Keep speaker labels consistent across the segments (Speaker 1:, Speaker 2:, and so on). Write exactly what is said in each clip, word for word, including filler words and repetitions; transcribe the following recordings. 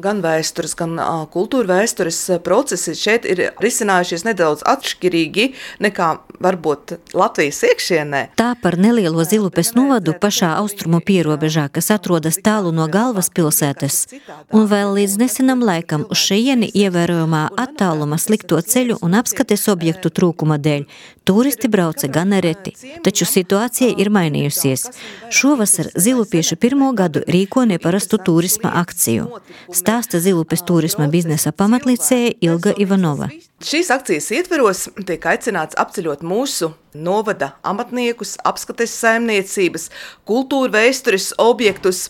Speaker 1: gan vēstures, gan uh, kultūra vēstures procesi šeit ir risinājušies nedaudz atšķirīgi nekā varbūt Latvijas iekšienē.
Speaker 2: Tā par nelielo Zilupes novadu pašā austrumu pierobežā, kas atrodas tālu no galvaspilsētas, un vēl līdz nesenam laikam uz šejieni ievērojamā attāluma slikto ceļu un apskates objektu trūkuma dēļ turisti brauca gana reti, taču situācija ir mainījusies. Šovasar zilupieši pirmo gadu rīko neparastu turisma akciju. Stāsta Zilupes turisma biznesa pamatlicēja Ilga Ivanova.
Speaker 1: Šīs akcijas ietveros tiek aicināts apceļot mūsu novada amatniekus, apskates saimniecības, kultūra vēstures objektus.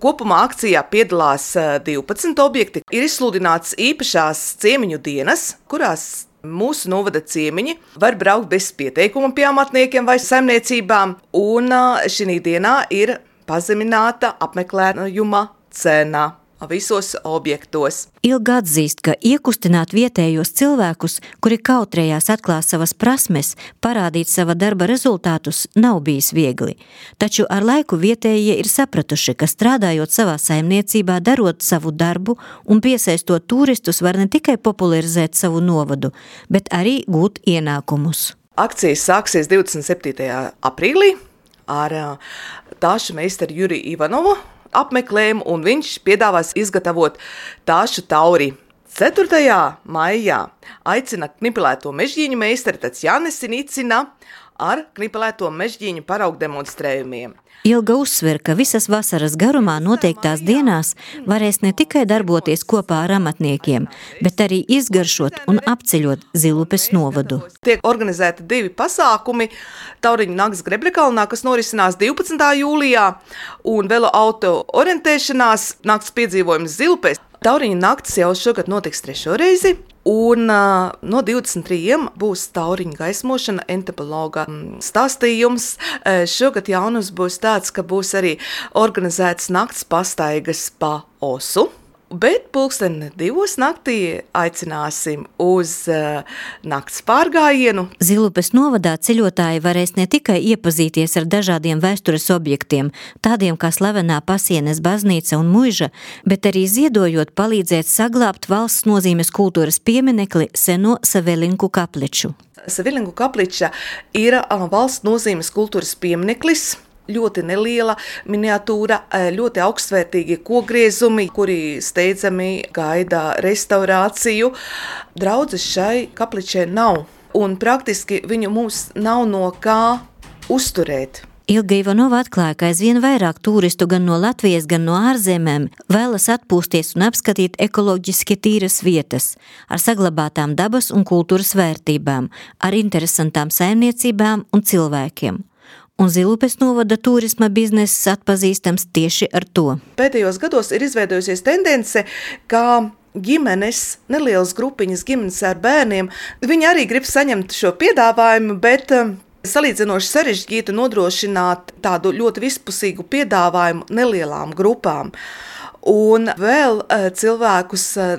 Speaker 1: Kopumā akcijā piedalās divpadsmit objekti. Ir izsludināts īpašās ciemiņu dienas, kurās mūsu novada ciemiņi var braukt bez pieteikuma pie amatniekiem vai saimniecībām, un šī dienā ir pazemināta apmeklējuma cena visos objektos.
Speaker 2: Ilga atzīst, ka iekustināt vietējos cilvēkus, kuri kautrējās atklāt savas prasmes, parādīt sava darba rezultātus, nav bijis viegli. Taču ar laiku vietējie ir sapratuši, ka strādājot savā saimniecībā, darot savu darbu un piesaistot turistus, var ne tikai popularizēt savu novadu, bet arī gūt ienākumus.
Speaker 1: Akcijas sāksies divdesmit septītajā aprīlī ar tāšu meistaru Juriju Ivanovu apmeklējumu, un viņš piedāvās izgatavot tāšu tauri. ceturtajā maijā aicina knipelēto mežģīņu meistari Tatjana Sinicina ar knipelēto mežģīņu paraugu demonstrējumiem.
Speaker 2: Ilga uzsver, ka visas vasaras garumā noteiktās dienās varēs ne tikai darboties kopā ar amatniekiem, bet arī izgaršot un apceļot Zilupes novadu.
Speaker 1: Tiek organizēti divi pasākumi Tauriņu nakts Grebrekalnā, kas norisinās divpadsmitā jūlijā, un velo auto orientēšanās nakts piedzīvojums Zilupēs. Tauriņu nakts jau šogad notiks trešo reizi, un uh, no divdesmit trījiem būs tauriņu gaismošana, entomologa stāstījums. Uh, šogad jaunums būs tāds, ka būs arī organizēts nakts pastaigas pa Osu. Bet pulksten divos naktī aicināsim uz uh, nakts pārgājienu.
Speaker 2: Zilupes novadā ceļotāji varēs ne tikai iepazīties ar dažādiem vēstures objektiem, tādiem kā slavenā Pasienes baznīca un muiža, bet arī ziedojot palīdzēt saglābt valsts nozīmes kultūras pieminekli seno Savilinku kapliču.
Speaker 1: Savilinku kapliča ir uh, valsts nozīmes kultūras piemineklis. Ļoti neliela miniatūra, ļoti augstvērtīgi kokgriezumi, kuri steidzami gaida restaurāciju. Draudzes šai kapličai nav, un praktiski viņu mums nav no kā uzturēt.
Speaker 2: Ilga Ivanova atklāja, ka aizvien vairāk turistu gan no Latvijas, gan no ārzemēm vēlas atpūsties un apskatīt ekoloģiski tīras vietas ar saglabātām dabas un kultūras vērtībām, ar interesantām saimniecībām un cilvēkiem. Un Zilupes novada turisma bizness atpazīstams tieši ar to.
Speaker 1: Pēdējos gados ir izveidojusies tendence, ka ģimenes, nelielas grupiņas ģimenes ar bērniem, viņi arī grib saņemt šo piedāvājumu, bet salīdzinoši sarežģītu nodrošināt tādu ļoti vispusīgu piedāvājumu nelielām grupām. Un vēl uh, cilvēkus uh,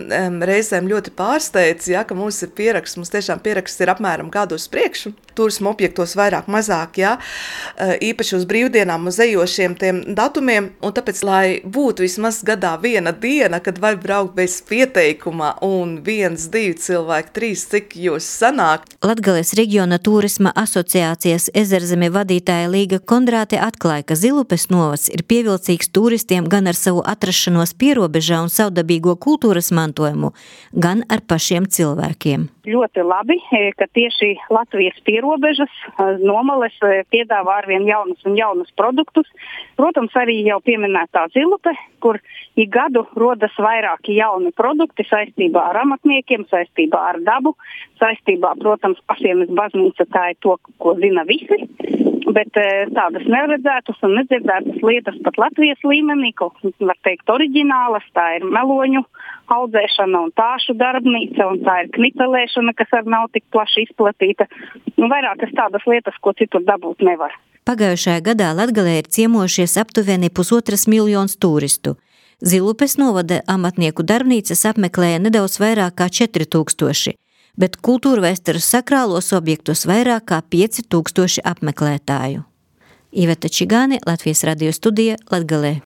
Speaker 1: reizēm ļoti pārsteidz, ja, ka mums ir pieraksts, mums tiešām pieraksts ir apmēram gadu uz priekšu, turisma objektos vairāk mazāk, ja, uh, īpaši uz brīvdienām, uz ejošiem tiem datumiem, un tāpēc, lai būtu vismaz gadā viena diena, kad var braukt bez pieteikuma, un viens, divi cilvēki, trīs, cik jūs sanāk.
Speaker 2: Latgales reģiona turisma asociācijas Ezerzeme vadītāja Līga Kondrāte atklāja, ka Zilupes novads ir pievilcīgs turistiem gan ar savu atrašanu pierobežā un savdabīgo kultūras mantojumu, gan ar pašiem cilvēkiem.
Speaker 3: Ļoti labi, ka tieši Latvijas pierobežas nomales piedāvā arvien jaunus un jaunus produktus. Protams, arī jau pieminētā Zilupe, kur ik gadu rodas vairāki jauni produkti saistībā ar amatniekiem, saistībā ar dabu, saistībā, protams, Pasienes baznīca, tā ir to, ko zina visi. Bet tādas neredzētas un nedzirdētas lietas pat Latvijas līmenī, kaut var teikt oriģinālas, tā ir meloņu audzēšana un tāšu darbnīca, un tā ir knipelēšana, kas arī nav tik plaši izplatīta. Un vairākas tādas lietas, ko citur dabūt nevar.
Speaker 2: Pagājušajā gadā Latgalē ir ciemojušies aptuveni pusotras miljonus turistu. Zilupes novada amatnieku darbnīcas apmeklēja nedaudz vairāk kā četri tūkstoši. Bet kultūrvēstures sakrālos objektus vairāk kā pieci tūkstoši apmeklētāju. Iveta Čigāne, Latvijas radio studija, Latgalē.